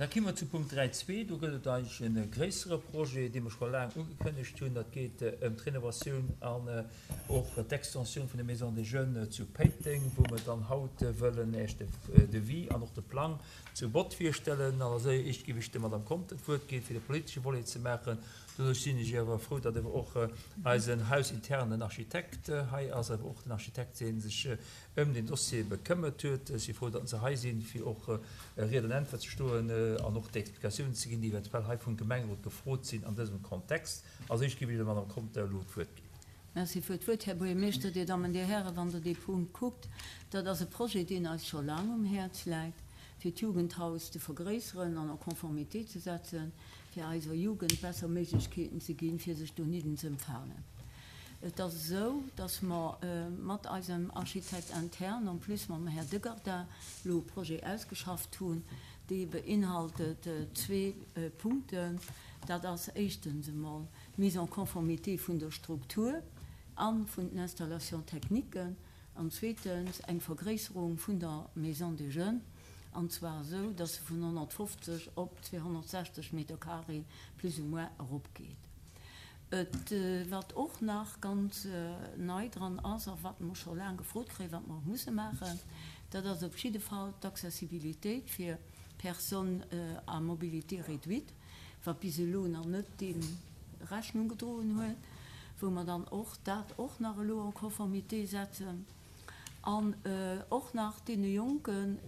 Da ki mer zu Punkt 3.2. Do gëtt et eigentlech e gréissere Projet, dee mer scho laang ugekënnegt hunn. Dat geet ëm d'Renovatioun an och d'Extensioun vun der Maison des Jeunes zu Péiteng, wou mer dann haut wëllen Iech de Devis an och de Plang zu Bott virstellen. An als éischt géif ech der Madame Conter d'Wuert ginn, fir de politesche Volet ze maachen. Doduerch sinn ech awer frou, datt awer och eisen hausinternen Architekt hei ass, awer och den Architekt, dee sech ëm deen Dossier bekëmmert huet. Ech si frou, datt se hei sinn, fir och Ried an Äntwert ze stoen an och déi Explikatiounen ze ginn, déi eventuell hei vum Gemengerot gefrot sinn an dësem Kontext. Als éischt géif ech der Madame Conter elo d'Wuert ginn. Merci fir d'Wuert, Här Buergermeeschter, Dir Dammen, Dir Hären. Wann Der dee Punkt kuckt, dat ass e Projet, deen eis scho laang um Häerz läit, fir d'Jugendhaus ze vergréisseren an en Conformité ze setzen, fir eiser Jugend besser Méiglechkeeten ze ginn, fir sech dohidden ze empfalen. Et ass esou, dass mer mat eisem Architecte interne, en plus mam Här Degardin, elo e Projet ausgeschafft hunn, dee beinhaltet zwee Punkten. Dat ass éischtens emol d'Mise en conformité vun der Struktur a vun den Installations techniques an zweetens eng Vergréisserung vun der Maison des Jeunes, an zwar esou, dass se vun 150 op 260 Meter carré plus ou moins eropgeet. Et, wat och nach ganz nei dran ass a wat mer scho laang gefrot kréien, wat mer och musse maachen, dat ass op jidde Fall d'Accessibilitéit fir Personnes à mobilité réduite, wat bis elo nach net deem Rechnung gedroen huet, wou mer dann och dat och nach elo en conformité setzen an och nach deene Jonken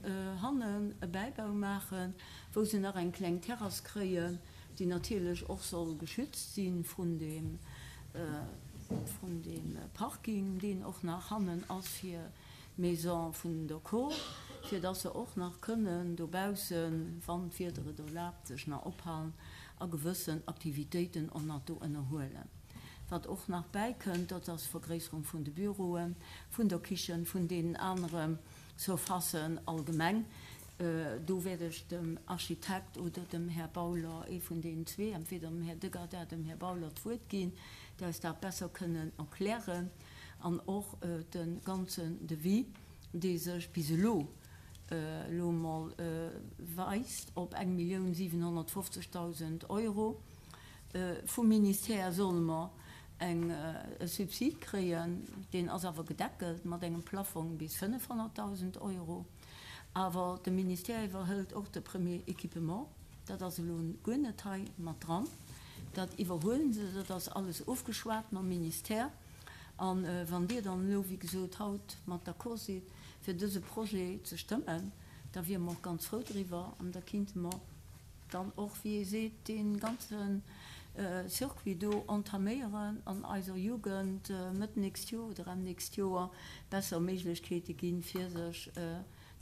hannen e Bäibau maachen, wou se nach eng kleng Terrass kréien, déi natierlech och soll geschützt si vrun deem, vrun deem Parking, deen och nach hannen ass fir d'Maison vun der Kor, fir dass se och nach kënnen dobaussen, wann d'Wieder et erlaabt, sech nach ophalen a gewëssen Aktivitéiten och nach do ënnerhuelen. Wat och nach bäikënnt, dat ass d'Vergréisserung vun de Büroen, vun der Kichen, vun deenen anere Surfacen allgemeng. Do wäert ech dem Architekt oder dem Här Bauler, ee vun deenen zwee, entweder dem Här Degardin, dem Här Bauler d'Wuert ginn, déi eis dat besser kënnen erklären. An och de ganzen Devis, dee sech bis elo elo emol weist op 1.750.000 Euro. Vum Ministère solle mer eng e Subsid kréien, deen ass awer gedeckelt mat engem Plaffong bis 500.000 Euro. Awer de Ministère iwwerhëlt och de Premier Équipement, dat ass elo guer net hei mat dran, dat iwwerhuelen se, dat ass alles ofgeschwat mam Ministère. A wann Dir dann elo, wéi gesot, haut mat d'accord sidd, fir dëse Projet ze stëmmen, da wiere mer och ganz frou driwwer an da kinnte mer dann och, wéi ee seet, dee ganze Circuit do entaméieren an eiser Jugend Mëtt nächst Joer oder Enn nächst Joer besser Méiglechkeete ginn, fir sech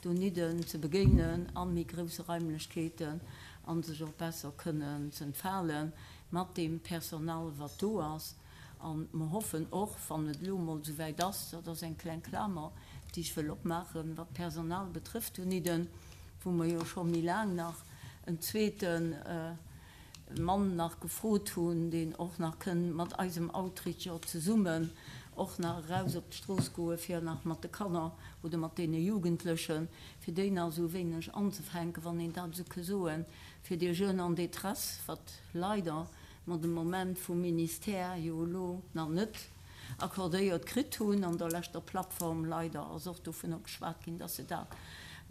donidden ze begéinen a méi grousse Raimlechkeeten a sech och besser kënnen z'entfale mat deem Personal, wat do ass. A mer hoffen och, wann et elo emol esouwäit ass, dat ass eng kleng Klamer, déi ech wëll opmaachen, wat d'Personal betrëfft donidden, wou mer jo scho méi laang nach en zweete Mann nach gefrot hunn, deen och nach kënn mat eisem Outreacher zesummen och nach eraus op d'Strooss goe fir nach mat de Kanner oder mat deene Jugendlechen, fir déi nach esou e wéineg anzefänken, wann een dat esou ke soen, fir déi Jeunes en détresse, wat leider mer de Moment vum Ministère jo elo nach net accordéiert kritt hunn. An der leschter Plattform leider ass och dovunner geschwat ginn, dass se dat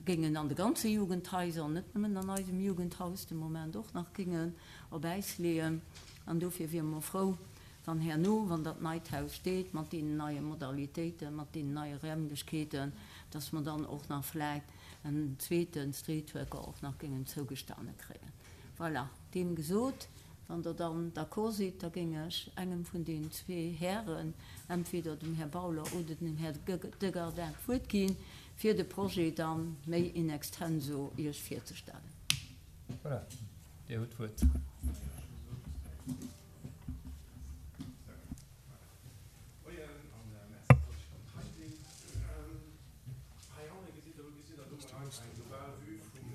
géingen an de ganze Jugendhaiser, net nëmmen an eisem Jugendhaus de Moment och nach géingen op Äis leeën. An dofir wiere mer frou, wann herno, wann dat neit Haus steet, mat deenen neie Modalitéiten, mat deenen neie Räumlechkeeten, dass mer dann och nach vläicht en zweete Streetworker och nach géingen zougestane kréien. Voilà, deem gesot. Wann Der dann d'accord sidd, da géing ech engem vun deenen zwee Hären, entweder dem Här Bauler oder dem Här Degardin, d'Wuert ginn, fir de Projet da méi in extenso Iech virzestellen. Voilà, Dir hutt d'Wuert. Moien an Merci, dass ech konnt hei sinn. Hei hanne gesitt Der, do gesitt Der do mol einfach eng global Vue vum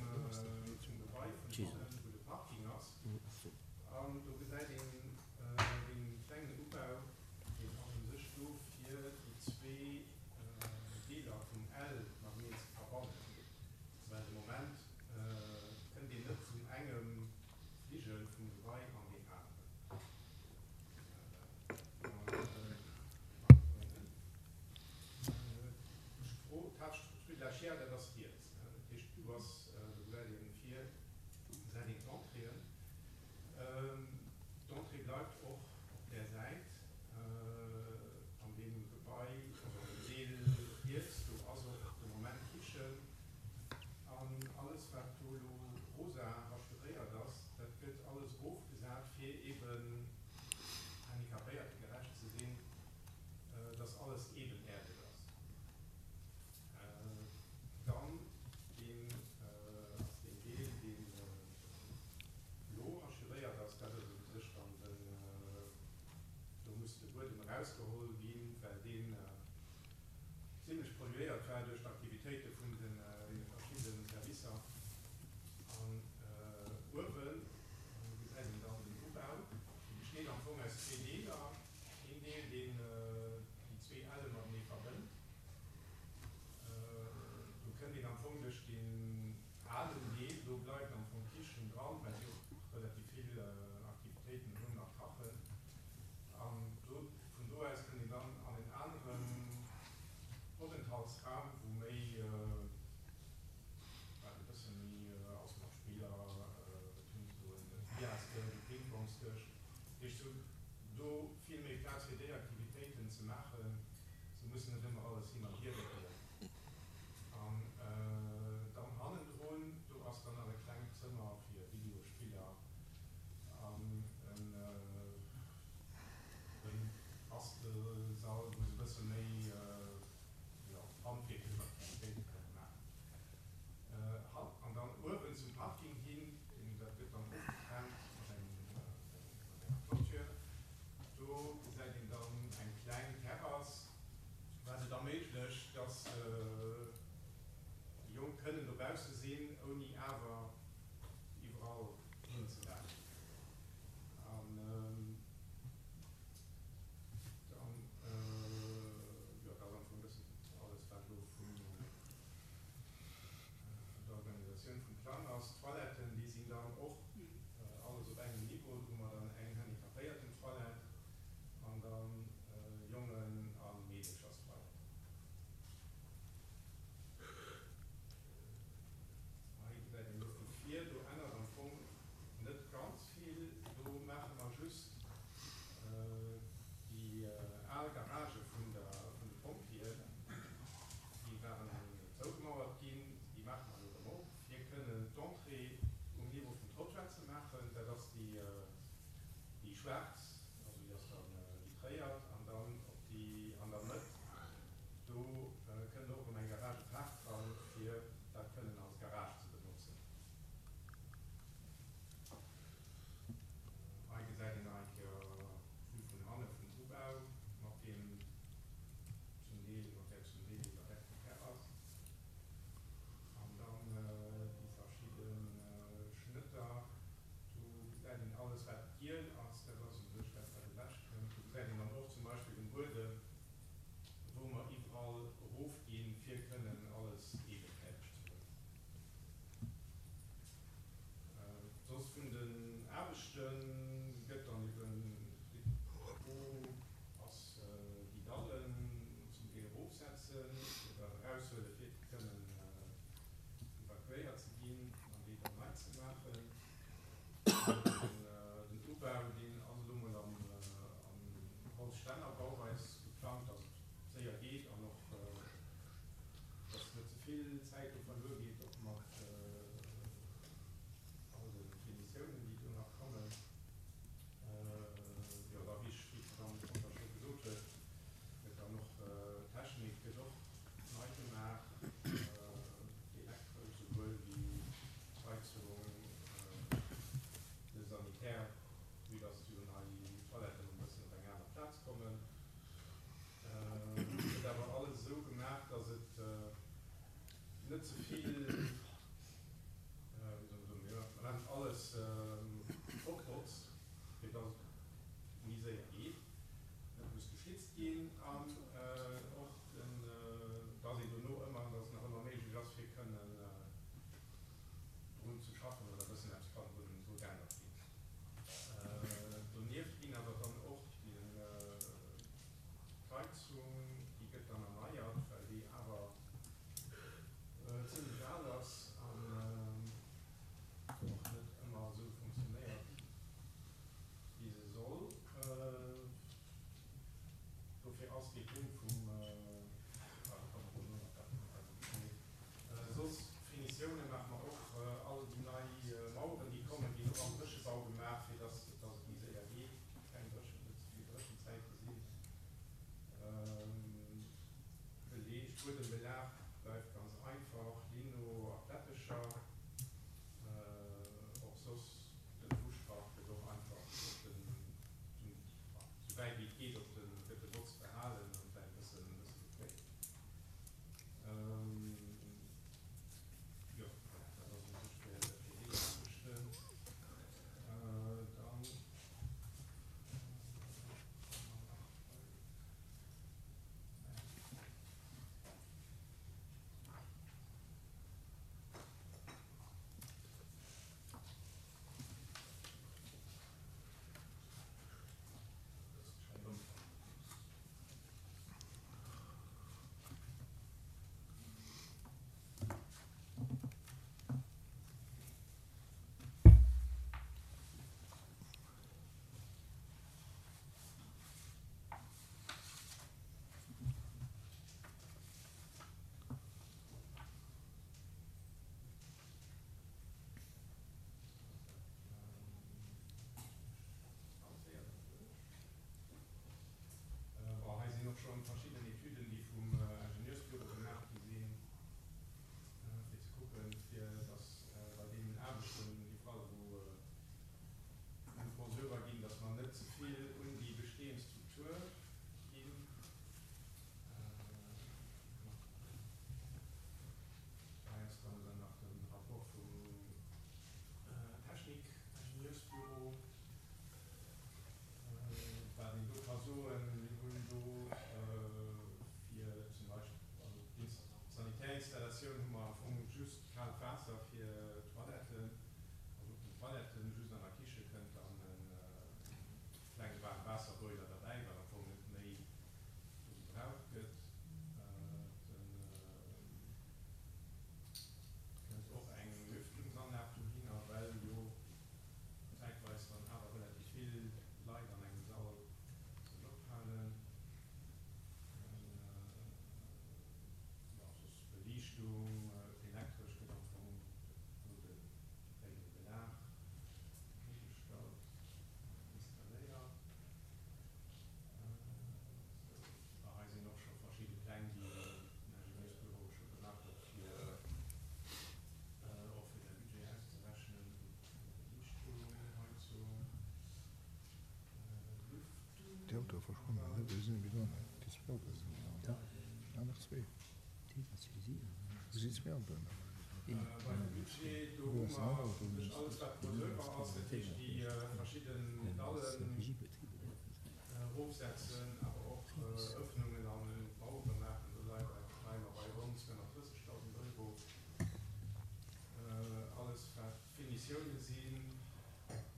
Gebai vun hannen, wou de Parking ass. An do gesäit een dee klengen Ubau, deen ass u sech do fir déi zwee Deeler vum L mateneen ze verbannen. Well de Moment kënnt een net vun engem. dass déi Jonk kënnen dobausse sinn, ouni awer iwwerall hinzelafen. An dann, jo, dat ass am Fong e bëssen alles, wat elo vun der Organisatioun vum Plang ass. D'Toiletten, déi sinn dann och alles op engem Niveau. Do hu mer dann eng Handicapéierten-Toilette an dann Jongen a Meedecherstoilette. Hei gesäit een elo vu vir, do ännert am Fong net ganz vill. Do maache mer just déi al Garagë vun de Pompjeeën, déi waren zougemauert ginn, déi maache mer elo erëm op, fir kënnen d'Entrée um Niveau vum Trottoir ze maachen. Dat ass déi schwaarz, also déi ass da vitréiert, an dann op déi an der Mëtt, do kënnt och erëm eng Garage Park dran, fir dat kënnen als Garage ze benotzen. Hei gesäit een nach eng Kéier d'Vue vun hanne vum Ubau mat deem zum Deel, mat där zum Deel iwwerdeckten Terrass. An dann déi verschidde Schnëtter. Do gesäit een alles wat giel ass, dat ass en. Beim Budget, do hu mer u sech alles, wat do selwer ass, dat heescht déi verschidden Dallen erofsetzen, awer och Öffnungen an Mauere maachen. Do leie mer bei ronn 230.000 Euro. Alles, wat Finitioune sinn,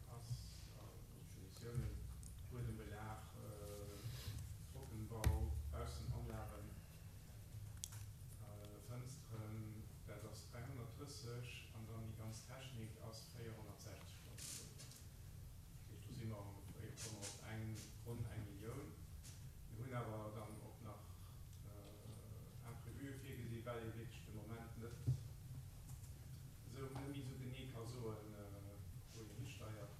ass, also Finitiounen, Buedembelag, Trockenbau, Baussenanlagen, Fënsteren, dat ass 330 an dann déi ganz Technik ass 460.000 Euro. Dat heescht, do si mer ongeféier, komme mer op eng, ronn eng Millioun. Mir hunn awer dann och nach Imprévue virgesi well ee wierklech de Moment net esou, net méi esou genee ka soen, wou een histeiert.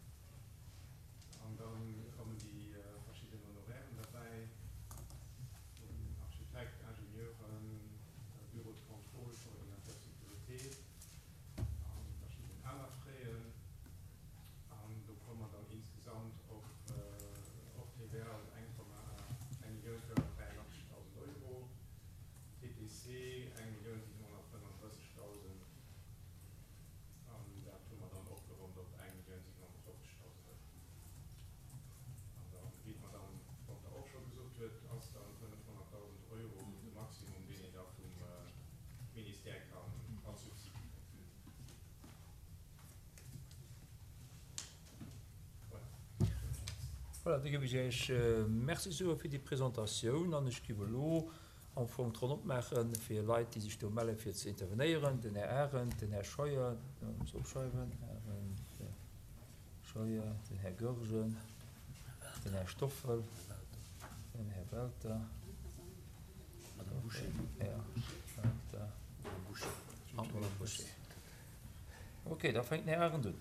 An da kommen déi verschidden Honorairen derbäi vun Architekt, Ingenieuren, Bureau de contrôle, Coordinateur sécurité a verschidden aner Fräen. An do komme mer dann insgesamt op hors TVA op 1.483.000 Euro, TTC 1.735.000. An dat hu mer dann opgeronnt op 1.750.000 Euro. An dann, wéi d'Madame Conter och scho gesot huet, ass dann 500.000 Euro de Maximum, deen een da vum Ministère kann als Subsid kréien. Voilà. Voilà, da géif ech Iech Merci soe fir déi Presentatioun an ech géif elo am Fong d'Ronn opmaache fir Leit, déi sech do melle fir ze intervenéieren, den Här Arendt, den Här Scheuer, muss opschreiwen, Arendt, Scheuer, den Här Goergen, den Här Stoffel, den Här Welter, Welter an d'Madame Bouché. Okay, da fänkt den Här Arendt un.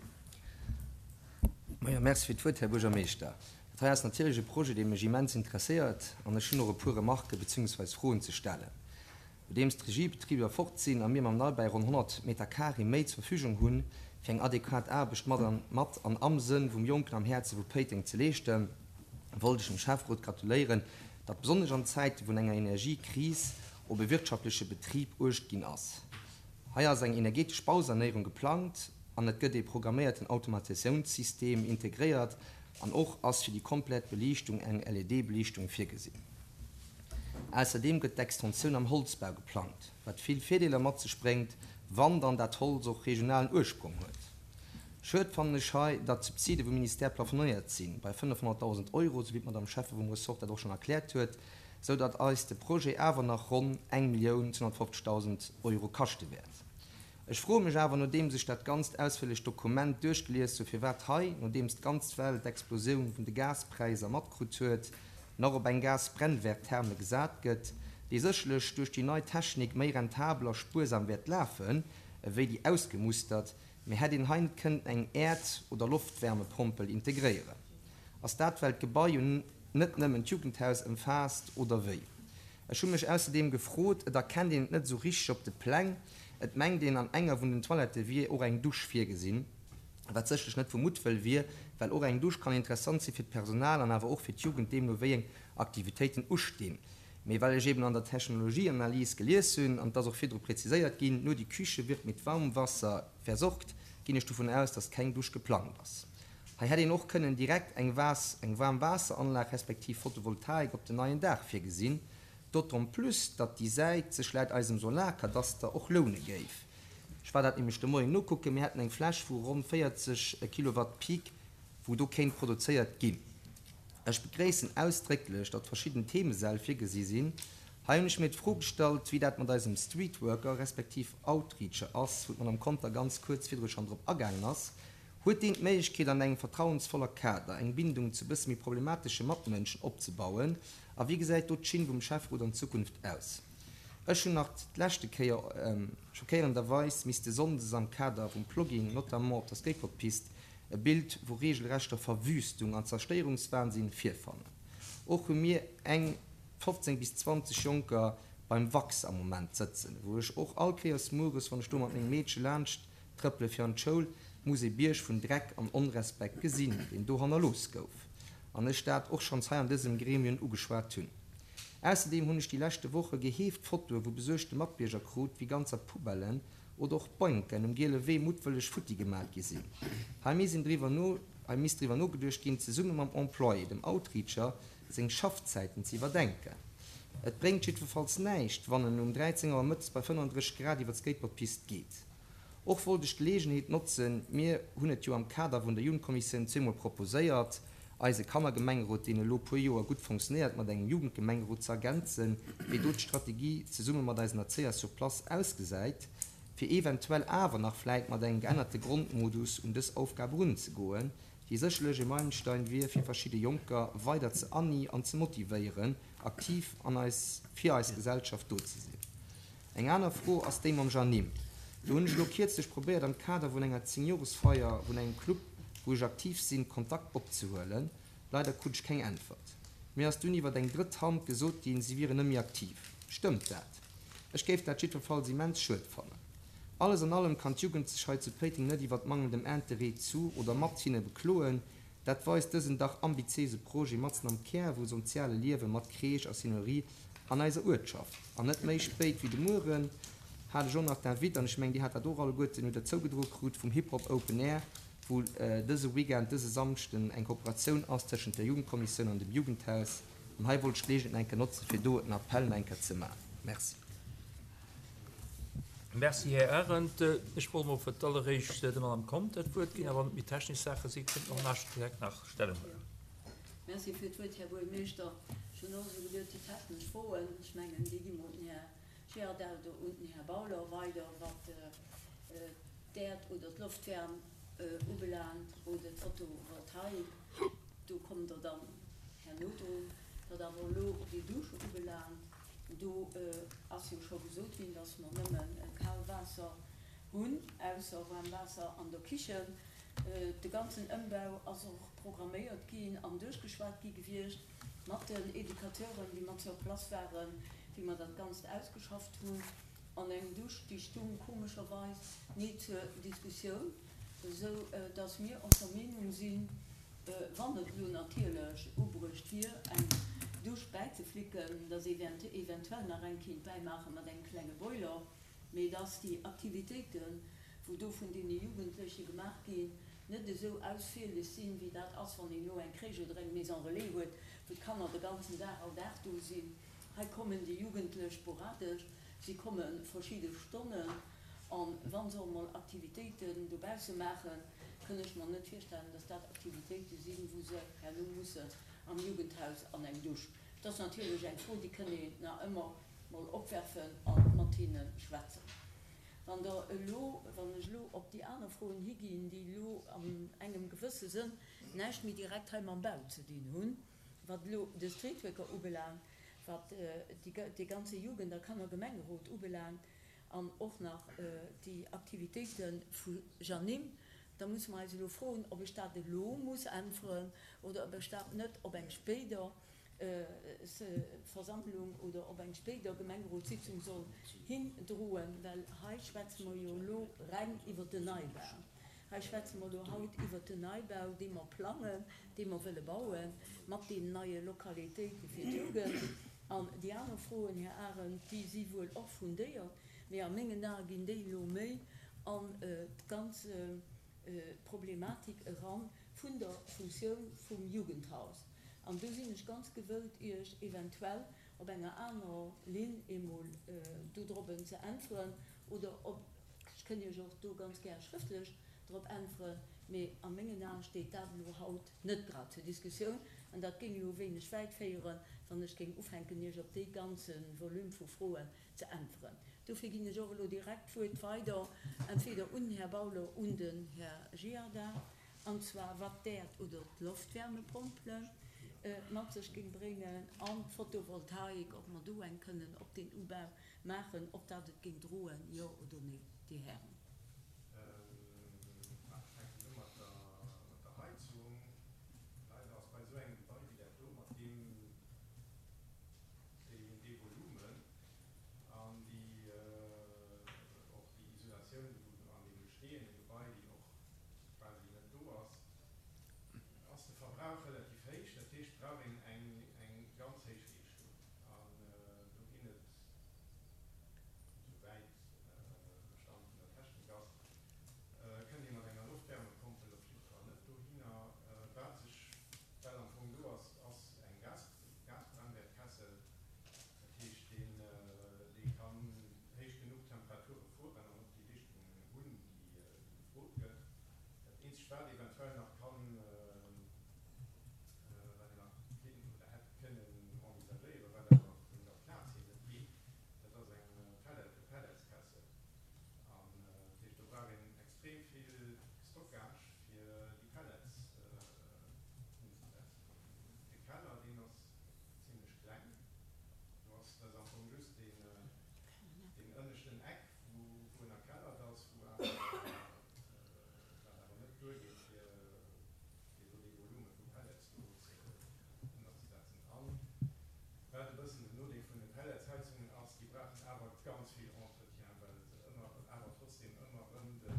Majo, Merci fir d'Wuert, Här Buergermeeschter. Dat hei ass natierlech e Projet, dee mech immens interesséiert an ech hunn och e puer Remarken beziehungsweis Froen ze stellen. Nodeems d'Regiebetriber fort sinn a mir mam Neibau ronn 100 Meter carré méi zur Verfügung hunn, fir eng adequat Aarbecht mat an mat an am Sënn vum Jonken am Häerze vu Péiteng ze leeschten, wollt ech dem Schäfferot gratuléieren, datt besonnesch an Zäite vun enger Energiekris op e wirtschaftleche Betrib uecht ginn ass. Hei ass eng energetesch Bausanéierung geplangt an et gëtt ee programméierten Automatisatiounssystem integréiert an och ass fir déi komplett Beliichtung eng LED-Beliichtung virgesinn. Ausserdeem gëtt d'Extensioun am Holzbau geplangt, wat vill Virdeeler mat sech bréngt, wann dann dat Holz och regionalen Ursprong huet. Schued fannen ech hei, datt d'Subside vum Ministère plafonéiert sinn bei 500.000 Euro, sou wéi d'Madame Schäffe vum Ressort dat och schonn erkläert huet, sou datt eis de Projet awer nach ronn 1.250.000 Euro kaschte wäert. Ech froe mech awer, nodeems ech dat ganzt ausféierlecht Dokument duerchgelies hu, firwat hei, nodeems d'ganz Welt d'Explosioun vun de Gaspräiser matkrut huet, nach op eng Gasbrennwerttherme gesat gëtt, déi sécherlech duerch déi nei Technik méi rentabel a spuersam wäert lafen, ewéi déi ausgemustert, mee hätt een hei net kënnten eng Äerd oder Loftwärmepompel integréieren? Ass dat, well d'Gebai jo net nëmmen d'Jugendhaus ëmfaasst, oder wéi? Ech hu mech ausserdeem gefrot, et erkennt een et net esou richteg op de Pläng, et mengt een an enger vun den Toilettë wier och eng Dusch virgesinn, wat sécherlech net vu Muttwëll wier, well och eng Dusch kann interessant si fir d'Personal an awer och fir d'Jugend, deemno wéi eng Aktivitéiten ustinn. Mee well ech eben an der Technologieanalys gelies hunn, an et ass och virdru präziséiert ginn, nur die Küche wird mit Warmwasser versorgt, ginn ech dovun aus, dass keng Dusch geplangt ass. Hei hätt een och kënnen direkt eng Waass eng Waarmwaasseranlag respektiv Photovoltaik op den neien Daach virgesinn, d'autant plus datt déi Säit sech laut eisem Solarkadaster och loune géif. Ech war dat nämlech de Moien nokucken, mir hätten eng Fläch vu ronn 40 Kilowatt Peak wou do kéint produzéiert ginn. Ech begréissen ausdrécklech, datt verschidden Themesäll virgesi sinn. Hei hunn ech mir d'Fro gestallt, wéi dat mat eisem Streetworker respektiv Outreacher ass, wou d'Madame Conter ganz kuerz virdru schonn drop agaangen ass. Huet deen d'Méiglechkeet an engem vertrauensvoller Kader eng Bindung zu bësse méi problematesche Matmënschen opzebauen? A wéi gesäit do d'Schinn vum Schäfferot an Zukunft aus? Ech hunn nach d'leschte Kéier schockéierenderweis misste sonndes am Kader vum Plogging, notamment op der Skateboardpist, e Bild vu regelrechter Verwüstung an Zerstéierungswahnsinn virfannen. Och hu mir eng 15 bis 20 Jonker beim Wachs am Moment sëtzen, wou ech och all Kéiers mueres, wann ech do mat mengem Meedche laanscht Trëppele fir an d'Schoul muss ee Bierg vun Dreck an Onrespekt gesinn, deen do hannerlooss gouf. An ech dat och schonns hei an dësem Gremium ugeschwat hunn. Ausserdeem hunn ech déi leschte Woche geheeft Fotoe vu besuergte Matbierger krut, wéi ganzer Poubellen oder och Bänken um Giele Wee muttwëlleg futti gemat gi sinn. Hei misst een driwwer no, hei misst driwwer nogeduecht ginn, zesumme mam Employé, dem Outreacher, seng Schaffzäiten ze iwwerdenken. Et bréngt jiddwerfalls näischt, wann en um 13 Auer mëttes bei 35 Grad iwwer d'Skateboardpist geet. Och wollt ech d'Geleegenheet notzen, mir hunn et jo am Kader vun der Jugendkommissioun zweemol proposéiert, eise Kannergemengerot, deen elo puer Joer gutt fonctionnéiert, mat engem Jugendgemengerot ze ergänzen, wéi do d'Strategie zesumme mat eisen Erzéier sur place ausgesäit, fir eventuell awer nach vläit mat engem geännerte Grondmodus un dës Aufgab erunzegoen, déi sécherlech e Meilenstein wier, fir verschidde Jonker weider ze ani an ze motivéieren, aktiv an eis fir eis Gesellschaft do ze sinn. Eng aner Fro ass déi mam Jeanine. Do hunn ech elo kierzlech probéiert am Kader vun enger Zéngjoresfeier vun engem Club, wou ech aktiv sinn, Kontakt opzehuelen. Leider krut ech keng Äntwert. Mir ass dunn iwwert eng drëtt Hand gesot ginn, si wieren net méi aktiv. Stëmmt dat? Ech géif dat jiddwerfalls immens schued fannen. Alles an allem kann d'Jugend sech hei zu Péiteng net iwwert mangelndem Interêt zu oder mat hinne bekloen. Dat weist dësen dach ambitiéise Projet matzen am Kär vu sonziale Liewe mat Crèche a Seniorie an eiser Uertschaft. An net méi spéit wéi de Mueren hat ech och nach d'Invite, an ech mengen Dir hat dat och alleguerten, hutt Der zougedroe krut, vum Hip Hop Open Air, wou dëse Weekend, dëse Samschden eng Kooperatioun ass tëschent der Jugendkommissioun an dem Jugendhaus. An hei wollt ech d'Geleegenheet nach eng Kéier notzen, fir do en Appell nach eng Kéier ze maachen. Merci. Merci, Här Arendt. Ech wollt emol fir d'alleréischt der Madame Conter d'Wuert ginn, awer wann et méi technesch Saache sinn, kënnt och den Architekt nach Stellung huelen. Merci fir d'Wuert, Här Buergermeeschter. Ech hunn och esou geduet, déi technesch Froen, ech mengen, déi gi mer un den Här Girardel oder un den Här Bauler weider, wat d'Äerd oder d'Loftwärm ubelaangt oder d'Photovoltaik. Do kommt Der dann herno drun. Wat awer elo déi Dusche ubelaangt, Do ass jo scho gesot ginn, dass mer nëmme kal Waasser hunn, ausser waarm Waasser an der Kichen. De ganzen Ëmbau ass och programméiert ginn an duerchgeschwat gi gewiescht mat den Educateuren, déi mat sur place waren, wéi mer dat Ganzt ausgeschafft hunn. An eng Dusch, déi stung komescherweis ni zur Diskussioun, esou dass mir och der Meenung sinn, wann et elo natierlech ubruecht wier, eng Dusch bäizeflicken, dass ee eventuell nach eng kéint bäimaache mat engem klenge Boiler, mee dass déi Aktivitéiten, wou do vun deene Jugendleche gemaach ginn, net esou ausfierlech sinn, wéi dat ass, wann een elo eng Crèche oder eng Maison relais huet, wou d'Kanner de ganzen Dag all Dag do sinn. Hei kommen déi Jugendlech sporadesch, si komme verschidde Stonnen. An wa se och mol Aktivitéiten dobausse maachen, kënn ech mer net virstellen, dass dat Aktivitéite sinn, wou se herno mussen am Jugendhaus an eng Dusch. Dat ass natierlech eng Fro, déi kënn een nach ëmmer mol opwerfen a mat hinne schwätzen. Wann Der elo, wann ech elo op déi aner Froen higinn, déi elo an engem gewësse Sënn näischt méi direkt hei mam Bau ze dinn hunn, wat elo de Streetworker ubelaangt, wat dee ganze Jugend a Kannergemengerot ubelaangt, an och nach déi Aktivitéite vu Janim, da musse mer eis elo froen, ob ech dat elo muss äntweren oder ob ech dat net op eng spéider Versammlung oder op eng spéider Gemengerotssitzung soll hindroen, well hei schwätze mer jo elo reng iwwert den Neibau. Hei schwätze mer elo haut iwwert den Neibau, dee mer plangen, dee mer wëlle bauen, mat deenen neie Lokalitéite fir d'Jugend. An déi aner Froen, Här Arendt, déi si wuel och fundéiert, mee a mengen Ae ginn déi elo méi an d'ganz Problematik eran vun der Funktioun vum Jugendhaus. An do sinn ech ganz gewëllt, Iech eventuell op enger anerer Linn eemol dodrobben ze äntweren oder op, ech kënn Iech och do ganz gär schrëftlech drop äntweren, mee a mengen Aen steet dat elo haut net grad zur Diskussioun an dat géing elo wéineg wäit féieren, wann ech géing ufänken, Iech op dee ganze Volume vu Froen ze äntweren. Dofir ginn ech och elo direkt d'Wuert weider, entweder un den Här Bauler, un den Här Giardin, an zwar wat d'Äerd oder d'Loftwärmepompele mat sech géing bréngen an d'Photovoltaik, ob mer do eng kënnen op deen Ubau maachen, ob dat et géing droen, jo oder nee, Dir Hären. Ech fänken u mat der Heizung. Leider ass bei esou engem Gebai wéi dat do mat deem dee Volumen an déi och déi Isolatioun wou an deem bestehende Gebai, déi och quasi net do ass, ass de Verbrauch relativ héich. heescht, et brauch een eng ganz héich Leeschtung. An do ginn et, esouwäit de Stand vun der Technik ass, kënnt ee mat enger Loftwärmepompel op jidde Fall net dohinner. Wat sech well am Fong do ass, ass eng Gasbrennwertkessel. Dat heescht, dee kann héich genuch Temperature fueren an och déi Leeschtung hunn, déi gefrot gëtt. Dat eenzegt, wat eventuell nach kann, wat een nach kéint oder hätt kënnen envisagéieren, wat awer vun der Plaz hier net geet, dat ass eng Pellet, e Pelletskessel. An dat heescht, do brauch een extrem vill Stockage, fir déi Pellets unzesetzen. An de Keller, deen ass zimlech kleng. Do ass, dat ass am Fong just deen, deen ënneschten Eck, wou ënnerkellert ass, wou awer, wat awer net duergeet, fir do dee Volume vu Pellets do ënnerzesetzen. An wat e bëssen den Nodeel vun de Pelletsheizungen ass, déi brauchen awer ganz vill Entretien, well se ëmmer, awer trotzdem ëmmer erëm de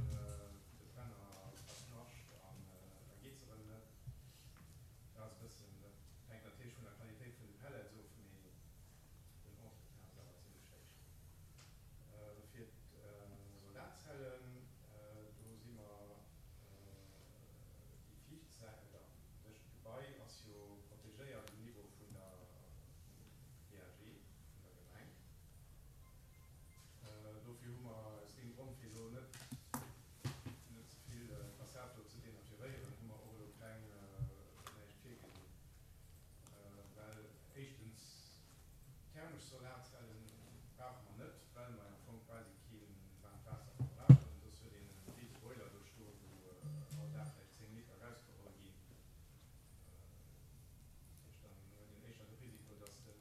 Brenner verknascht an da geet se erëm net. Dat ass e bëssen, dat hänkt natierlech vun der Qualitéit vun de Pellets of, mee den Entretien ass awer zimlech héich. Fir d'Solarzellen, do si mer déi viischt Säit, oder u sech d'Gebai ass jo protegéiert um Niveau vun der PAG vun der Gemeng. Dofir hu mer aus deem Grond, fir elo net net ze vill d'Fassad do ze denaturéieren, hu mer och elo keng näischt virgesinn, well éischtens Thermesch Solarzellen brauche mer net, well mer am Fong quasi kee waarmt Waasser verbrauchen. Soss huet een e rise Boiler do stoen, wou all Dag vläicht 10 Liter erausgeholl ginn. Dat heescht, dann huet een éischter de Risiko, dass den,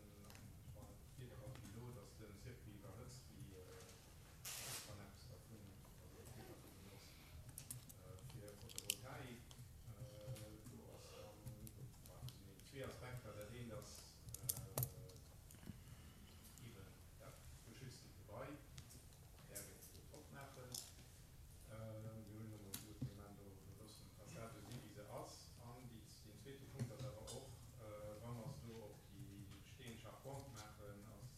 wann et d'Wieder ass wéi elo, dass de Circuit iwwerhëtzt, wéi wann eppes dervun, also e vill dervu benotzt. Fir Photovoltaik, do ass dann, do sinn eben zwee Aspekter. Dat eent ass, Eben dat geschütztent Gebai däerf een net opmaachen. Mir hunn elo mol gesot, mir maachen do, mir loossen d'Fassad esou si wéi se ass. An déi, deen zweete Punkt ass awer och, wa mer se do op déi besteeënd Charpente maachen, ass,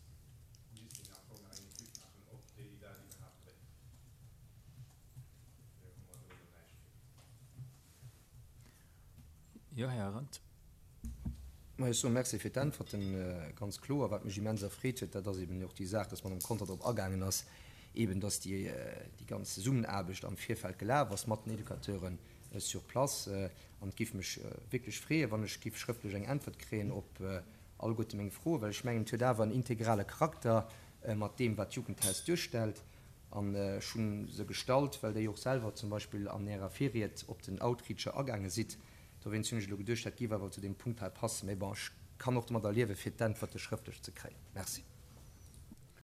misst een am Fong nach eng Etüd maachen, ob déi dat iwwerhaapt dréit. Dofir hu mer do elo näischt virgesinn. Jo, Här Arendt. Ma ech soe Merci fir d'Äntwerten. Ganz kloer, wat mech immens erfreet huet, dat ass eben och déi Saach, dass d'Madame Conter drop agaangen ass, eben dass déi ganz Zesummenaarbecht am Virfeld gelaf ass mat den Educateuren sur place. An et géif mech wierklech freeën, wann ech géif schrëftlech eng Äntwert kréien op alleguerte meng Froen, well ech mengen, et huet awer en integrale Charakter mat deem, wat d'Jugendhaus duerstellt. An ech hu se gestallt, well Dir jo och selwer zum Beispill an Ärer Virried op den Outreacher agaange sidd. Dowéinst hunn ech elo geduecht, dat géif awer zu deem Punkt hei passen. Mee bon, ech kann och domadder liewen, fir d'Äntwerte schrëftlech ze kréien. Merci.